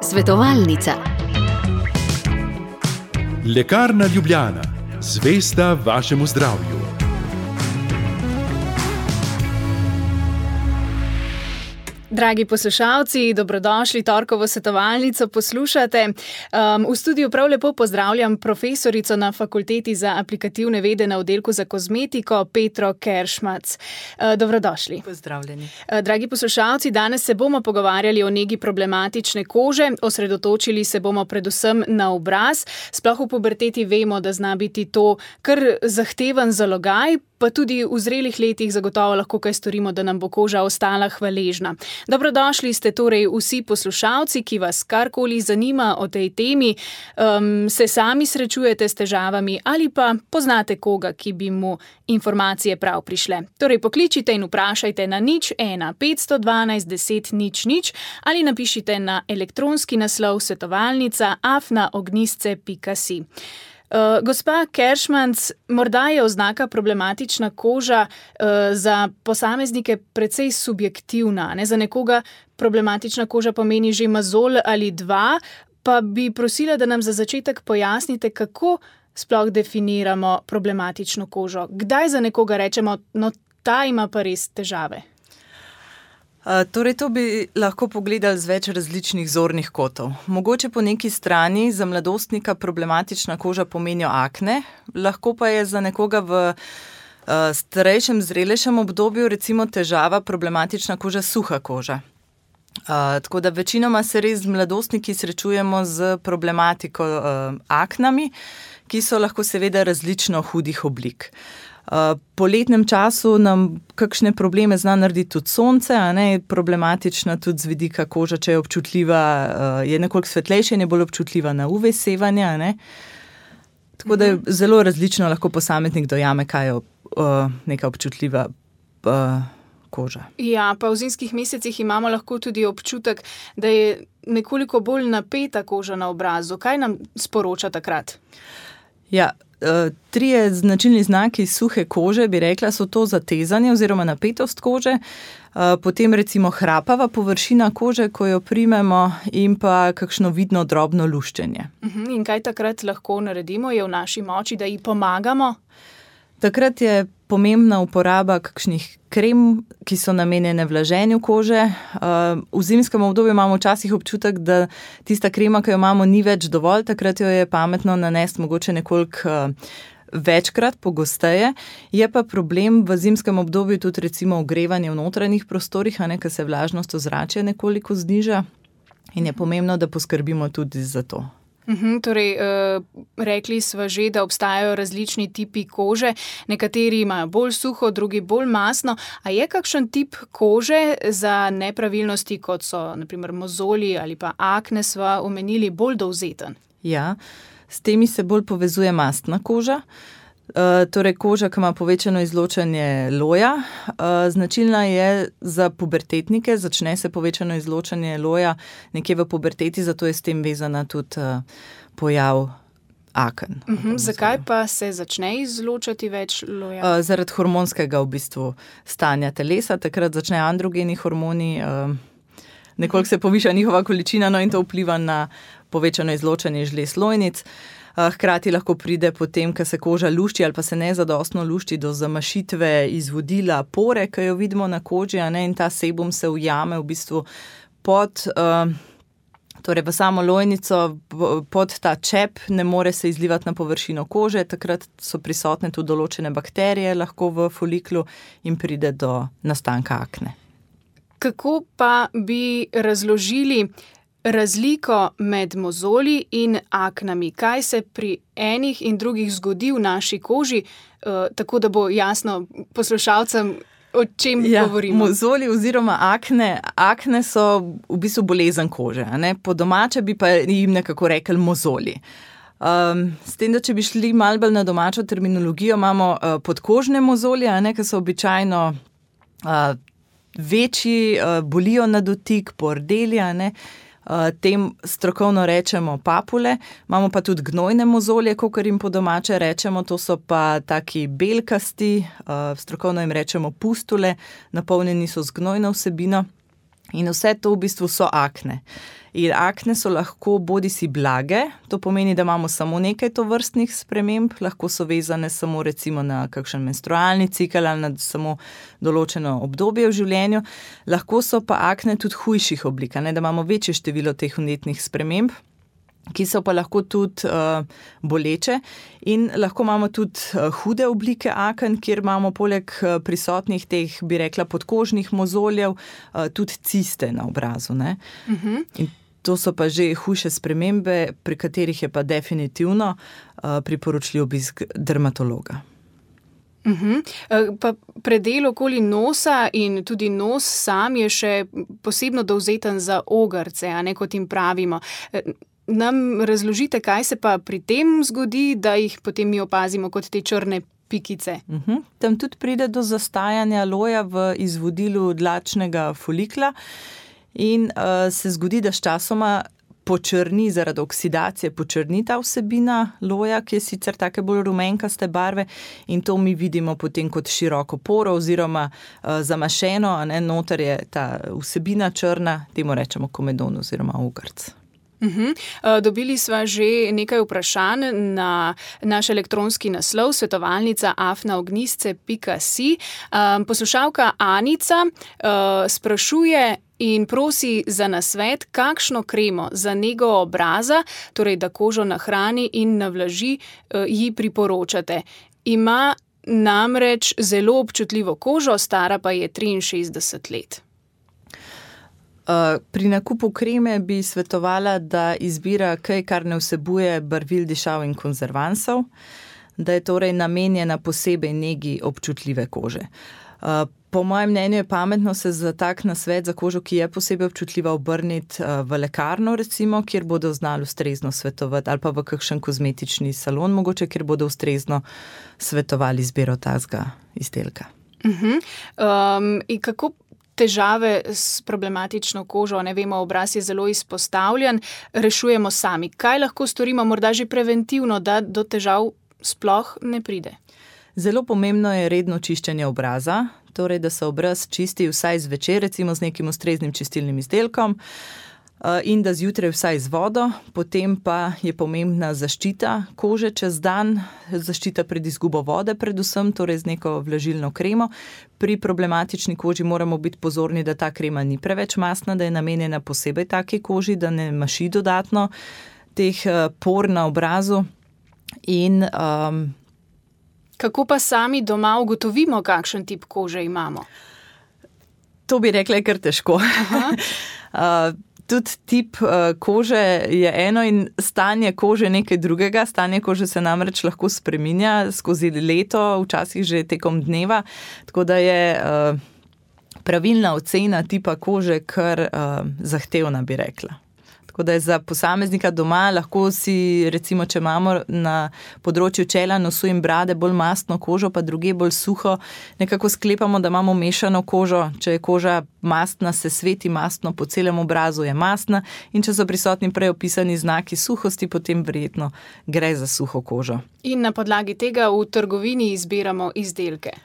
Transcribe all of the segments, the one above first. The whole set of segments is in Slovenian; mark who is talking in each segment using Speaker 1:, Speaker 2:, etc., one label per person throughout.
Speaker 1: Svetovalnica.
Speaker 2: Lekarna Ljubljana, zvesta vašemu zdravju.
Speaker 3: Dragi poslušalci, dobrodošli, torkovo svetovalnico poslušate. V studiu prav lepo pozdravljam profesorico na Fakulteti za aplikativne vede na oddelku za kozmetiko, Petro Keršmac. Dobrodošli.
Speaker 4: Pozdravljeni.
Speaker 3: Dragi poslušalci, danes se bomo pogovarjali o negi problematične kože, osredotočili se bomo predvsem na obraz. Sploh v puberteti vemo, da zna biti to kar zahteven zalogaj, pa tudi v zrelih letih zagotovo lahko kaj storimo, da nam bo koža ostala hvaležna. Dobrodošli ste torej vsi poslušalci, ki vas karkoli zanima o tej temi, se sami srečujete s težavami ali pa poznate koga, ki bi mu informacije prav prišle. Torej pokličite in vprašajte na 01 512 10 00 ali napišite na elektronski naslov svetovalnica@ognjisce.si. Gospa Keršmac, morda je oznaka problematična koža za posameznike precej subjektivna. Za nekoga problematična koža pomeni že mozolj ali dva, pa bi prosila, da nam za začetek pojasnite, kako sploh definiramo problematično kožo. Kdaj za nekoga rečemo, no ta ima pa res težave?
Speaker 4: Torej, to bi lahko pogledali z več različnih zornih kotov. Mogoče po neki strani za mladostnika problematična koža pomeni akne, lahko pa je za nekoga v starejšem, zrelejšem obdobju recimo težava problematična koža, suha koža. Tako da večinoma se res z mladostniki srečujemo z problematiko aknami, ki so lahko seveda različno hudih oblik. Po letnem času nam kakšne probleme zna narediti tudi sonce, problematična tudi z vidika koža, če je občutljiva, je nekoliko svetlejša in je bolj občutljiva na UV sevanje. Tako da je zelo različno lahko posameznik dojame, kaj je neka občutljiva koža.
Speaker 3: Ja, pa v zimskih mesecih imamo lahko tudi občutek, da je nekoliko bolj napeta koža na obrazu. Kaj nam sporoča takrat?
Speaker 4: Ja, trije značilni znaki suhe kože, bi rekla, so to zatezanje oziroma napetost kože, potem recimo hrapava površina kože, ko jo primemo, in pa kakšno vidno drobno luščenje.
Speaker 3: In kaj takrat lahko naredimo? Je v naši moči, da ji pomagamo?
Speaker 4: Takrat je pomembna uporaba kakšnih krem, ki so namenjene vlaženju kože. V zimskem obdobju imamo včasih občutek, da tista krema, ki jo imamo, ni več dovolj, takrat jo je pametno nanesti mogoče nekoliko večkrat, pogosteje. Je pa problem v zimskem obdobju tudi recimo ogrevanje v notranjih prostorih, ker se vlažnost ozračja nekoliko zniža in je pomembno, da poskrbimo tudi za to.
Speaker 3: Torej, rekli smo že, da obstajajo različni tipi kože, nekateri imajo bolj suho, drugi bolj mastno. A je kakšen tip kože za nepravilnosti, kot so naprimer mozolji ali pa akne, sva omenili, bolj dovzeten?
Speaker 4: Ja, s temi se bolj povezuje mastna koža. Torej koža, ki ima povečano izločanje loja. Značilna je za pubertetnike, začne se povečano izločanje loja nekje v puberteti, zato je s tem vezana tudi pojav aken.
Speaker 3: Zakaj pa se začne izločati več loja?
Speaker 4: Zaradi hormonskega v bistvu stanja telesa, takrat začnejo androgeni hormoni, nekoliko se poviša njihova količina, in to vpliva na povečano izločanje žlez lojnic. Hkrati lahko pride potem, ko se koža lušči ali pa se nezadostno lušči, do zamašitve izvodila pore, ki jo vidimo na koži, in ta sebum se ujame v bistvu pod, torej v samo lojnico, pod ta čep, ne more se izlivati na površino kože, takrat so prisotne tudi določene bakterije lahko v foliklu in pride do nastanka akne.
Speaker 3: Kako pa bi razložili razliko med mozolji in aknami? Kaj se pri enih in drugih zgodi v naši koži, tako da bo jasno poslušalcem, o čem govorimo?
Speaker 4: Mozolji oziroma akne so v bistvu bolezen kože. Po domače bi pa jim nekako rekli mozolji. S tem, da če bi šli malo bolj na domačo terminologijo, imamo podkožne mozolje, ki so običajno večji, bolijo na dotik, pordeli, tem strokovno rečemo papule, imamo pa tudi gnojne mozolje, kakor jim po domače rečemo, to so pa taki belkasti, strokovno jim rečemo pustule, napolnjeni so z gnojno vsebino. In vse to v bistvu so akne. In akne so lahko bodisi blage, to pomeni, da imamo samo nekaj tovrstnih sprememb, lahko so vezane samo recimo na kakšen menstrualni cikel ali na samo določeno obdobje v življenju, lahko so pa akne tudi hujših oblik, da imamo večje število teh vnetnih sprememb, ki so pa lahko tudi boleče in lahko imamo tudi hude oblike aken, kjer imamo poleg prisotnih teh, bi rekla, podkožnih mozoljev, tudi ciste na obrazu. Ne? In to so pa že hujše spremembe, pri katerih je pa definitivno priporočljiv obisk dermatologa.
Speaker 3: Pa predel okoli nosa in tudi nos sam je še posebno dovzeten za ogrce, a ne, kot jim pravimo. Nam razložite, kaj se pa pri tem zgodi, da jih potem mi opazimo kot te črne pikice?
Speaker 4: Tam tudi pride do zastajanja loja v izvodilu dlačnega folikla in se zgodi, da sčasoma počrni, zaradi oksidacije počrni ta vsebina loja, ki je sicer take bolj rumenkaste barve in to mi vidimo potem kot široko poro oziroma zamašeno, a ne, noter je ta vsebina črna, temu rečemo komedon oziroma ogrc.
Speaker 3: Dobili sva že nekaj vprašanj na naš elektronski naslov svetovalnica@ognjisce.si. Poslušalka Anica sprašuje in prosi za nasvet, kakšno kremo za nego obraza, torej da kožo nahrani in navlaži, ji priporočate. Ima namreč zelo občutljivo kožo, stara pa je 63 let.
Speaker 4: Pri nakupu kreme bi svetovala, da izbira kaj, kar ne vsebuje barvil, dišav in konzervansov, da je torej namenjena posebej negi občutljive kože. Po mojem mnenju je pametno se za tak nasvet za kožo, ki je posebej občutljiva, obrniti v lekarno recimo, kjer bodo znali ustrezno svetovati, ali pa v kakšen kozmetični salon mogoče, kjer bodo ustrezno svetovali izbiro takega izdelka.
Speaker 3: In kako težave s problematično kožo, ne vemo, obraz je zelo izpostavljen, rešujemo sami? Kaj lahko storimo morda že preventivno, da do težav sploh ne pride?
Speaker 4: Zelo pomembno je redno čiščenje obraza, torej da se obraz čisti vsaj zvečer, recimo z nekim ustreznim čistilnim izdelkom, in da zjutraj vsaj z vodo, potem pa je pomembna zaščita kože čez dan, zaščita pred izgubo vode predvsem, torej z neko vlažilno kremo. Pri problematični koži moramo biti pozorni, da ta krema ni preveč mastna, da je namenjena posebej taki koži, da ne maši dodatno teh por na obrazu. In
Speaker 3: kako pa sami doma ugotovimo, kakšen tip kože imamo?
Speaker 4: To bi rekla, je kar težko. Tudi tip kože je eno in stanje kože nekaj drugega. Stanje kože se namreč lahko spreminja skozi leto, včasih že tekom dneva, tako da je pravilna ocena tipa kože kar zahtevna, bi rekla. Tako da je za posameznika doma lahko si, recimo, če imamo na področju čela, nosu in brade bolj mastno kožo, pa druge bolj suho, nekako sklepamo, da imamo mešano kožo. Če je koža mastna, se sveti mastno, po celem obrazu je mastna, in če so prisotni prej opisani znaki suhosti, potem verjetno gre za suho kožo.
Speaker 3: In na podlagi tega v trgovini izbiramo izdelke.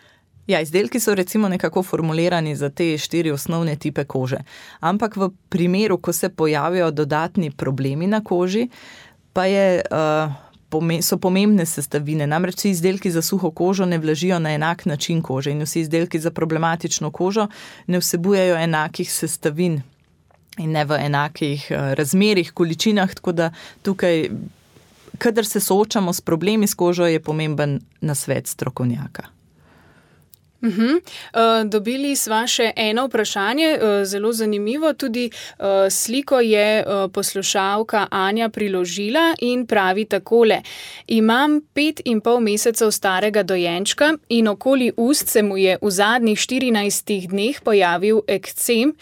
Speaker 4: Ja, izdelki so recimo nekako formulirani za te 4 osnovne tipe kože. Ampak v primeru, ko se pojavijo dodatni problemi na koži, pa so pomembne sestavine. Namreč vsi izdelki za suho kožo ne vlažijo na enak način kože in vsi izdelki za problematično kožo ne vsebujejo enakih sestavin in ne v enakih razmerih, količinah, tako da tukaj, kadar se soočamo s problemi s kožo, je pomemben nasvet strokovnjaka.
Speaker 3: Dobili sva še eno vprašanje, zelo zanimivo, tudi sliko je poslušalka Anja priložila in pravi takole: imam 5,5 mesecev starega dojenčka in okoli ust se mu je v zadnjih 14 dneh pojavil ekcem,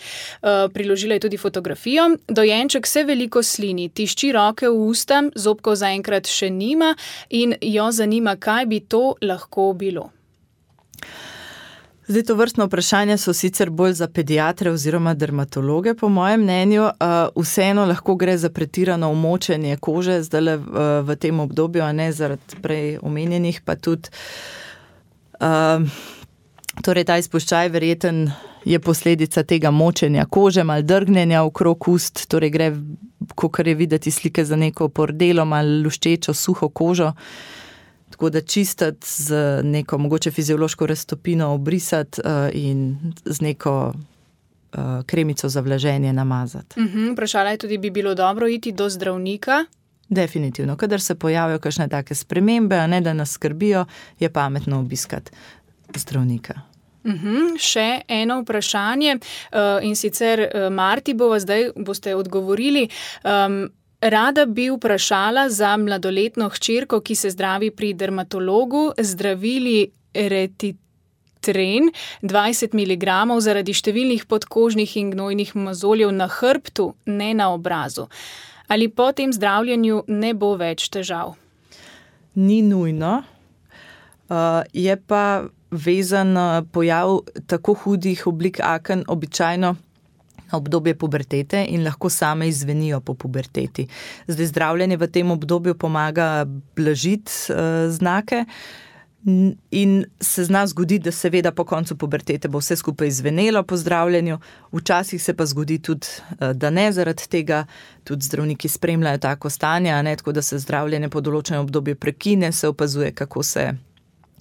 Speaker 3: priložila je tudi fotografijo, dojenček se veliko slini, tišči roke v usta, zobkov zaenkrat še nima in jo zanima, kaj bi to lahko bilo.
Speaker 4: Zdaj, to vrstno vprašanje so sicer bolj za pediatre oziroma dermatologe, po mojem mnenju. Vseeno lahko gre za pretirano umočenje kože, zdaj v tem obdobju, a ne zaradi prej omenjenih, pa tudi torej ta izpuščaj verjeten je posledica tega močenja kože, malo drgnjenja okrog ust, torej gre, kakor je videti slike, za neko pordelo, malo luščečo, suho kožo. Tako da čistiti z neko mogoče fiziološko raztopino obrisati in z neko kremico za vlaženje namazati.
Speaker 3: Vprašala je tudi, bi bilo dobro iti do zdravnika?
Speaker 4: Definitivno. Kadar se pojavijo kakšne take spremembe, a ne da nas skrbijo, je pametno obiskati zdravnika.
Speaker 3: Še eno vprašanje in sicer Marti boste odgovorili. Rada bi vprašala za mladoletno hčerko, ki se zdravi pri dermatologu, zdravili Retitren 20 mg zaradi številnih podkožnih in gnojnih mozoljev na hrbtu, ne na obrazu. Ali po tem zdravljenju ne bo več težav?
Speaker 4: Ni nujno. Je pa vezan pojav tako hudih oblik aken običajno na obdobje pubertete in lahko same izvenijo po puberteti. Zdaj zdravljenje v tem obdobju pomaga blažiti znake in se zna zgoditi, da seveda po koncu pubertete bo vse skupaj izvenelo po zdravljenju. Včasih se pa zgodi tudi, da ne, zaradi tega tudi zdravniki spremljajo tako stanje, a ne, tako da se zdravljenje po določenem obdobju prekine, se opazuje, kako se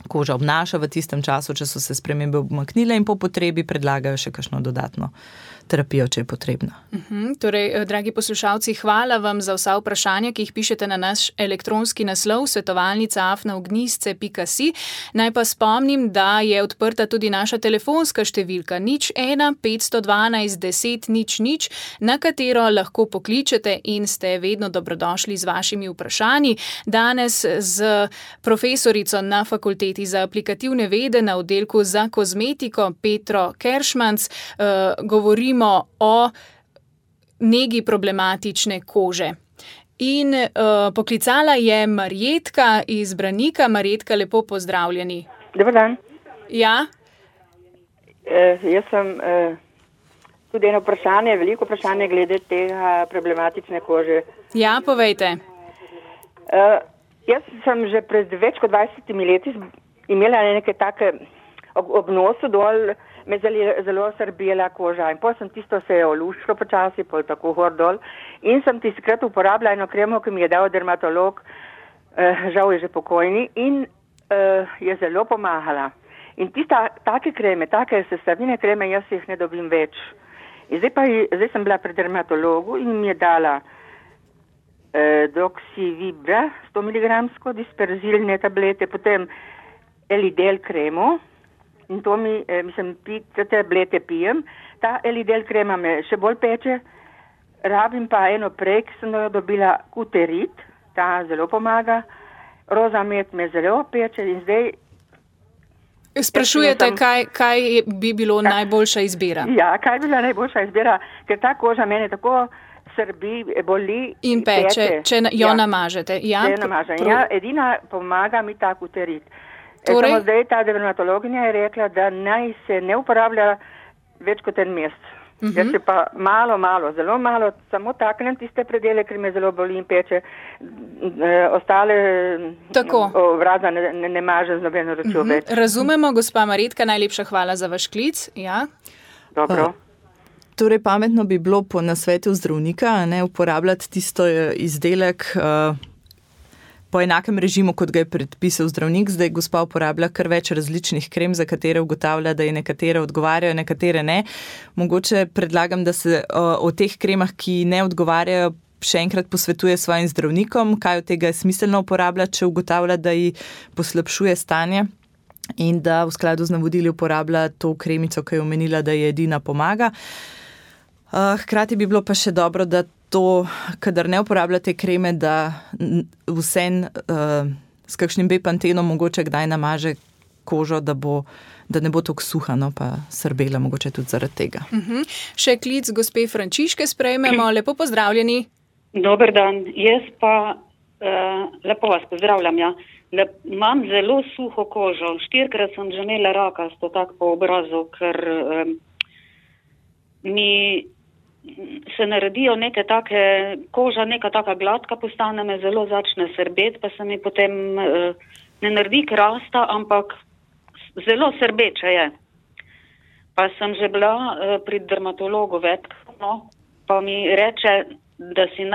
Speaker 4: koža obnaša v tistem času, če so se spremembe obmaknile in po potrebi predlagajo še kakšno dodatno terapijo, če je potrebna.
Speaker 3: Torej, dragi poslušalci, hvala vam za vsa vprašanja, ki jih pišete na naš elektronski naslov svetovalnica@ognjisce.si. Naj pa spomnim, da je odprta tudi naša telefonska številka 01 512 10 00, na katero lahko pokličete in ste vedno dobrodošli z vašimi vprašanji. Danes z profesorico na Fakulteti za aplikativne vede na oddelku za kozmetiko Petro Keršmanc govorimo o negi problematične kože. In poklicala je Marjetka iz Branika. Marjetka, lepo pozdravljeni.
Speaker 1: Dobar dan.
Speaker 3: Ja?
Speaker 1: Jaz sem tudi eno vprašanje, veliko vprašanje glede tega problematične kože.
Speaker 3: Ja, povejte.
Speaker 1: Jaz sem že pred več kot 20 leti imela neke take ob nosu dol, me zelo srbijela koža in potem sem tisto se je oluščilo počasi, pol tako gor dol in sem tistikrat uporabila eno kremo, ki mi je dal dermatolog, žal je že pokojni in je zelo pomagala. In take kreme, take sestavine kreme, jaz jih ne dobim več. In zdaj sem bila pri dermatologu in mi je dala Doxivibra 100 mg disperzilne tablete, potem Elidel kremo. In to te tablete pijem. Ta Elidel krema me še bolj peče. Rabim pa eno prej, ki sem jo dobila Kuterit. Ta zelo pomaga. Rozamet me zelo peče in zdaj...
Speaker 3: Sprašujete, kaj bi bilo najboljša izbira?
Speaker 1: Ja, kaj bi bila najboljša izbira, ker ta koža mene tako srbi, boli
Speaker 3: in peče, če jo namažete. Ja,
Speaker 1: če jo namažem. Edina pomaga mi ta Kuterit. Samo zdaj ta dermatologinja je rekla, da naj se ne uporablja več kot en mesec. Jaz se pa zelo malo, samo taknem tiste predele, ker me zelo boli in peče. Ostale obraza ne mažem z nobeno ročjo več.
Speaker 3: Razumemo, gospa Marjetka, najlepša hvala za vaš klic. Ja?
Speaker 1: Dobro.
Speaker 4: Torej, pametno bi bilo po nasvetu zdravnika, ne uporabljati tisto izdelek po enakem režimu, kot ga je predpisal zdravnik. Zdaj gospa uporablja kar več različnih krem, za katere ugotavlja, da je nekatere odgovarjajo, nekatere ne. Mogoče predlagam, da se o teh kremah, ki ne odgovarjajo, še enkrat posvetuje svojim zdravnikom, kaj od tega je smiselno uporabljati, če ugotavlja, da ji poslabšuje stanje in da v skladu z navodili uporablja to kremico, ki je omenila, da je edina pomaga. Hkrati bi bilo pa še dobro, da to, kadar ne uporabljate kreme, da vsem s kakšnim B-pantenom mogoče kdaj namaže kožo, da ne bo tako suha, no, pa srbela mogoče tudi zaradi tega.
Speaker 3: Še klic gospe Frančiške sprejmemo. Lepo pozdravljeni.
Speaker 5: Dober dan. Jaz pa lepo vas pozdravljam, ja. Da imam zelo suho kožo. 4-krat sem že imela rakasto tako po obrazu, ker mi se naredijo neke take, koža neka taka gladka postane, me zelo začne srbeti, pa se mi potem ne naredi krasta, ampak zelo srbeče je. pa sem že bila pri dermatologu večkratno, pa mi reče, da si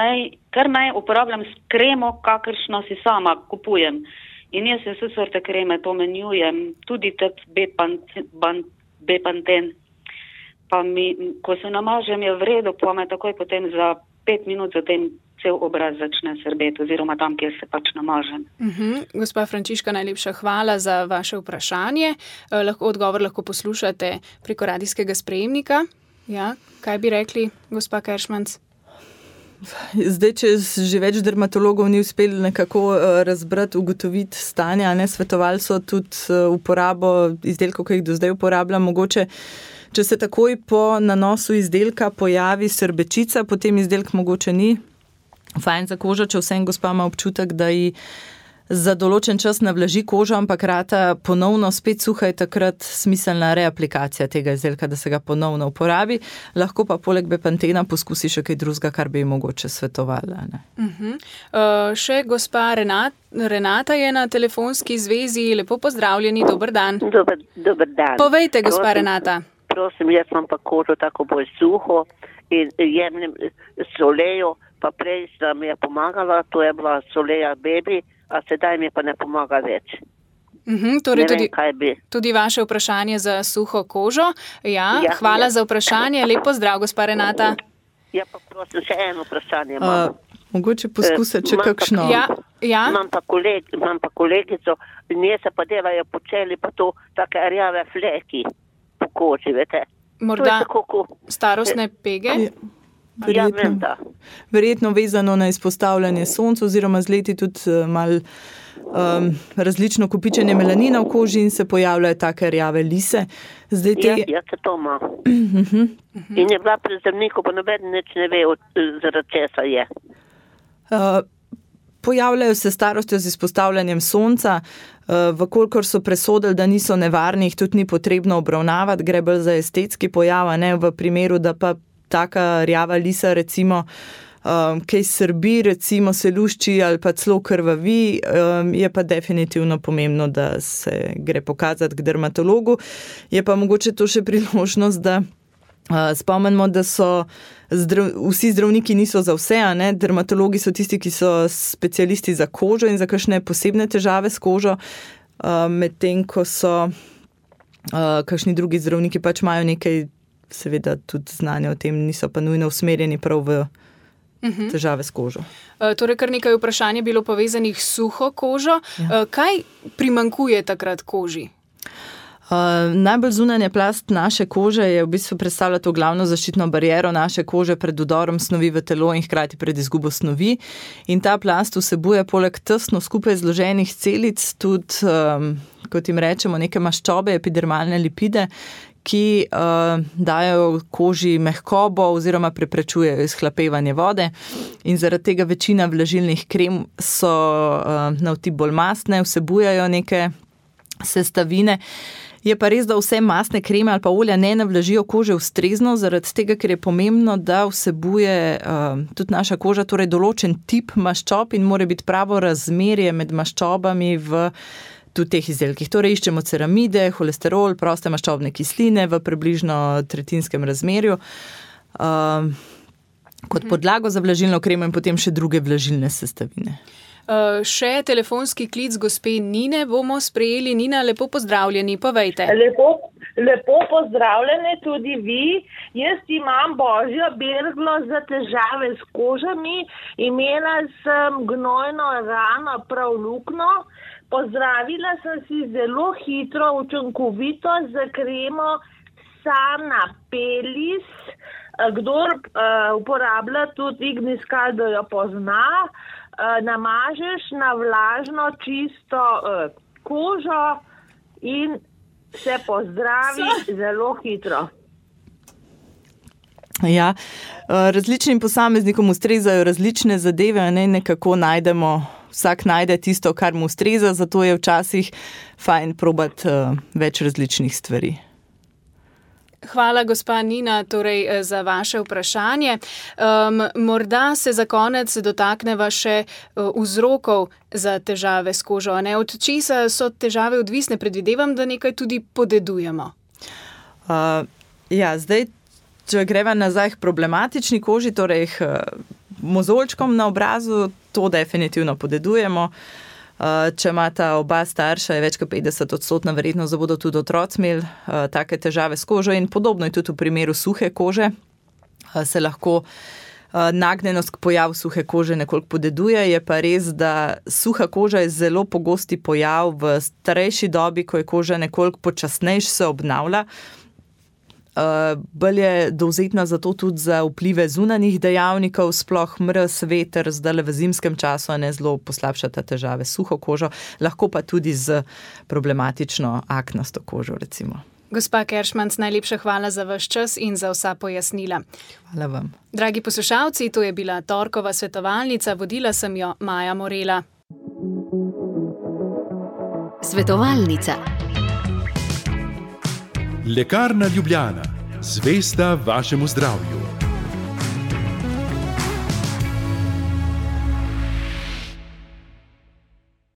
Speaker 5: kar naj uporabljam kremo, kakršno si sama kupujem. In jaz vse sorte kreme to menjujem, tudi Bepanten. Pa ko se namažem, je v redu, pa me takoj potem za 5 minut zatem cel obraz začne srbeti, oziroma tam, kjer se pač namažem.
Speaker 3: Gospa Frančiška, najlepša hvala za vaše vprašanje. Odgovor lahko poslušate preko radijskega sprejemnika. Ja, kaj bi rekli, gospa Keršmanc?
Speaker 4: Zdaj, če že več dermatologov ni uspelo nekako razbrati, ugotoviti stanja, svetovali so tudi uporabo izdelkov, ki jih do zdaj uporabljam. Mogoče, če se takoj po nanosu izdelka pojavi srbečica, potem izdelk mogoče ni fajn za kožo, če vsem gospa ima občutek, da ji za določen čas navlaži kožo, ampak rata ponovno spet suha, je takrat smiselna reaplikacija tega izdelka, da se ga ponovno uporabi. Lahko pa poleg Bepantena poskusi še kaj drugega, kar bi ji mogoče svetovala.
Speaker 3: Še gospa Renata je na telefonski zvezi. Lepo pozdravljeni, dober dan.
Speaker 6: Dober dan.
Speaker 3: Povejte, gospa Renata.
Speaker 6: Prosim, jaz imam pa kožo tako bolj suho in jemljem solejo, pa prej mi je pomagala, to je bila soleja baby, a sedaj mi pa ne pomaga več.
Speaker 3: Torej tudi vaše vprašanje za suho kožo. Ja, hvala za vprašanje. Lep pozdrav, gospa Renata.
Speaker 6: Ja, pa prosim, še eno vprašanje imam.
Speaker 4: Mogoče poskusati, če kakšno.
Speaker 3: Ja.
Speaker 6: Imam pa kolegico, nje se pa delajo počeli pa to take rjave fleki po koži, vete.
Speaker 3: Morda starostne pege?
Speaker 4: Verjetno vezano na izpostavljanje soncu oziroma z leti tudi malo različno kopičenje melanina v koži in se pojavljajo take rjave lise.
Speaker 6: Ja, se to ima. In je bila pri zdravniku, pa noben nič ne ve, zaradi česa je.
Speaker 4: Pojavljajo se starostjo z izpostavljanjem sonca, vkolikor so presodili, da niso nevarni, jih tudi ni potrebno obravnavati, gre bolj za estetski pojav, ne v primeru, da pa taka rjava lisa, recimo, kaj srbi, recimo se lušči ali pa celo krvavi, je pa definitivno pomembno, da se gre pokazati k dermatologu. Je pa mogoče to še priložnost, da spomnimo, da so vsi zdravniki niso za vse, ne? Dermatologi so tisti, ki so specialisti za kožo in za kakšne posebne težave s kožo, medtem ko so kakšni drugi zdravniki pač imajo nekaj seveda tudi znanja o tem, niso pa nujno usmerjeni prav v težave s kožo.
Speaker 3: Torej, kar nekaj vprašanj je bilo povezanih s suho kožo. Ja. Kaj primanjkuje takrat koži?
Speaker 4: Najbolj zunanja plast naše kože je v bistvu predstavlja to glavno zaščitno bariero naše kože pred vdorom snovi v telo in hkrati pred izgubo snovi. In ta plast vsebuje poleg tesno skupaj zloženih celic tudi, kot jim rečemo, neke maščobe, epidermalne lipide, ki dajo koži mehkobo oziroma preprečujejo izhlapevanje vode. In zaradi tega večina vlažilnih krem so na vtip bolj mastne, vsebujajo neke sestavine. Je pa res, da vse mastne kreme ali pa olja ne navlažijo kože ustrezno, zaradi tega, ker je pomembno, da vsebuje tudi naša koža, torej določen tip maščob in mora biti pravo razmerje med maščobami v tudi teh izdelkih. Torej iščemo ceramide, holesterol, proste maščobne kisline v približno tretjinskem razmerju kot podlago za vlažilno kremo in potem še druge vlažilne sestavine.
Speaker 3: Še telefonski klic gospe Nine bomo sprejeli. Nina, lepo pozdravljeni, povejte.
Speaker 7: Lepo pozdravljeni tudi vi. Jaz imam božjo berglo za težave s kožami. Imela sem gnojno rano, prav lukno. Pozdravila sem si zelo hitro, učinkovito z kremo Sana Pelis. Kdor uporablja tudi Ignis Caldo, jo pozna. Namažeš na vlažno, čisto kožo in se pozdravi zelo hitro.
Speaker 4: Ja, različnim posameznikom ustrezajo različne zadeve, ne, nekako najdemo, vsak najde tisto, kar mu ustreza, zato je včasih fajn probati več različnih stvari.
Speaker 3: Hvala, gospa Nina, torej za vaše vprašanje. Morda se za konec dotakneva še vzrokov za težave s kožo. Ne? Od česa so težave odvisne? Predvidevam, da nekaj tudi podedujemo.
Speaker 4: Ja, zdaj, če greva nazaj k problematični koži, torej k mozolčkom na obrazu, to definitivno podedujemo. Če imata oba starša, je več kot 50% verjetnost, da bodo tudi otroci imeli take težave s kožo in podobno je tudi v primeru suhe kože. Se lahko nagnjenost k pojavu suhe kože nekoliko podeduje, je pa res, da suha koža je zelo pogosti pojav v starejši dobi, ko je koža nekoliko počasnejš se obnavlja. Bolj je dovzetna zato tudi za vplive zunanjih dejavnikov, sploh mraz, veter, zdaj v zimskem času ne zelo poslabšata težave s suho kožo, lahko pa tudi z problematično aknasto kožo recimo.
Speaker 3: Gospa Keršmanc, najlepša hvala za vaš čas in za vsa pojasnila.
Speaker 4: Hvala vam.
Speaker 3: Dragi poslušalci, to je bila torkova svetovalnica, vodila sem jo Maja Morela.
Speaker 8: Svetovalnica.
Speaker 2: Lekarna Ljubljana. Zvesta vašemu zdravju.